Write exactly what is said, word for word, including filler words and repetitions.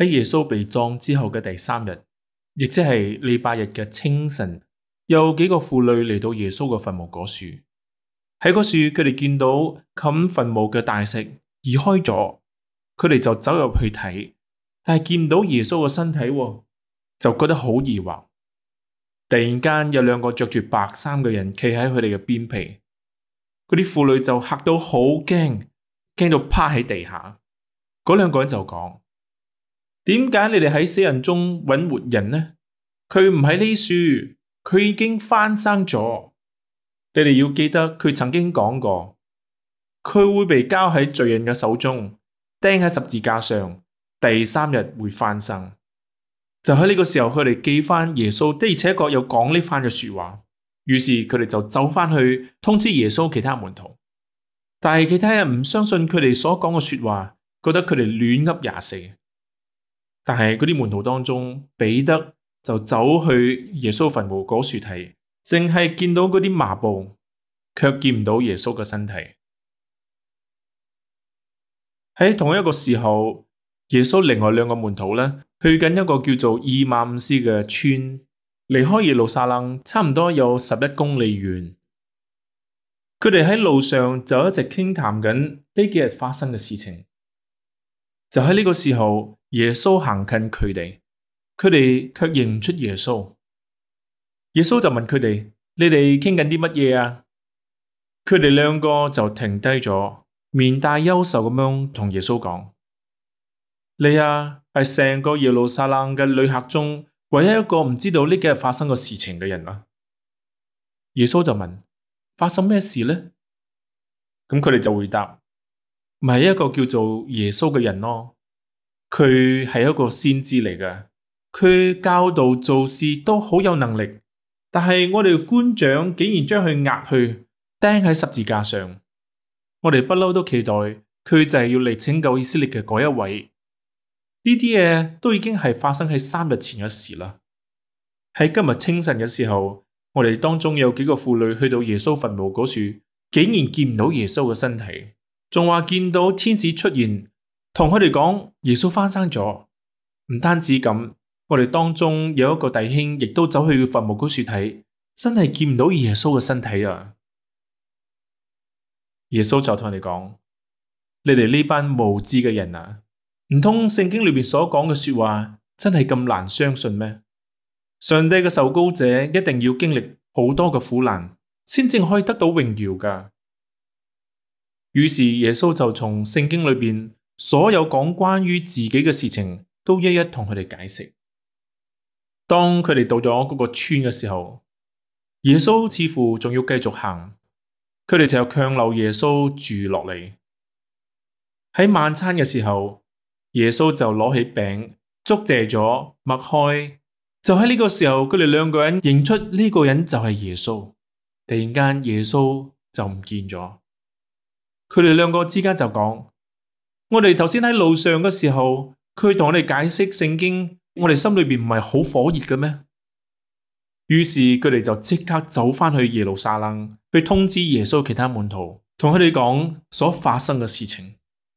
喺耶穌被葬之後嘅第三日，亦即係禮拜日嘅清晨，有幾個婦女嚟到耶穌嘅墳墓嗰處。喺嗰處，佢哋見到冚墳墓嘅大石移開咗，佢哋就走入去睇，但係見唔到耶穌嘅身體，就覺得好疑惑。突然間有兩個着住白衫嘅人企喺佢哋嘅邊皮，嗰啲婦女就嚇到好驚，驚到趴喺地下。嗰兩個人就講：點解你哋喺死人中揾活人呢？佢唔喺呢處，佢已經翻生咗。你哋要記得佢曾經講過，佢會被交喺罪人嘅手中，釘喺十字架上，第三日會翻生。就喺呢個時候，佢哋記翻耶穌的而且確有講呢番嘅說話，於是佢哋就走翻去通知耶穌其他門徒。但係其他人唔相信佢哋所講嘅說話，覺得佢哋亂噏廿四。但係嗰啲門徒當中，彼得就走去耶穌墳墓嗰處睇，淨係見到嗰啲麻布，卻見唔到耶穌嘅身體。喺同一個時候，耶穌另外兩個門徒呢，去緊一個叫做以馬忤斯嘅村，離開耶路撒冷差唔多有十一公里遠。佢哋喺路上就一直傾談緊呢幾日發生嘅事情。就喺呢個時候，耶穌行近佢哋，佢哋卻認唔出耶穌。耶穌就問佢哋：你哋傾緊啲乜嘢啊？佢哋兩個就停低咗，面帶憂愁咁樣同耶穌講：你啊，係成個耶路撒冷嘅旅客中唯一一個唔知道呢幾日發生過事情嘅人啊。耶穌就問：發生咩事呢？咁佢哋就回答：咪係一個叫做耶穌嘅人咯。佢係一個先知嚟嘅，佢教導做事都好有能力，但係我哋官長竟然將佢押去釘喺十字架上。我哋不嬲都期待佢就係要嚟拯救以色列嘅嗰一位。呢啲嘢都已經係發生喺三日前嘅事啦。喺今日清晨嘅時候，我哋當中有幾個婦女去到耶穌墳墓嗰處，竟然見唔到耶穌嘅身體，仲話見到天使出現，同佢哋講耶穌翻生咗。唔單止咁，我哋當中有一個弟兄亦都走去墳墓嗰處睇，真係見唔到耶穌嘅身體啊！耶穌就同佢哋講：你哋呢班無知嘅人啊，唔通聖經裏面所講嘅說話真係咁難相信咩？上帝嘅受膏者一定要經歷好多嘅苦難，先至可以得到榮耀噶。於是耶穌就從聖經裏邊所有講關於自己嘅事情，都一一同佢哋解釋。當佢哋到咗嗰個村嘅時候，耶穌似乎仲要繼續行，佢哋就強留耶穌住落嚟。喺晚餐嘅時候，耶穌就攞起餅，祝謝咗，擘開。就喺呢個時候，佢哋兩個人認出呢個人就係耶穌。突然間，耶穌就唔見咗。佢哋兩個之間就講：我哋頭先喺路上嘅時候，佢同我哋解釋聖經，我哋心裏邊唔係好火熱嘅咩？於是佢哋就即刻走翻去耶路撒冷，去通知耶穌其他門徒，同佢哋講所發生嘅事情。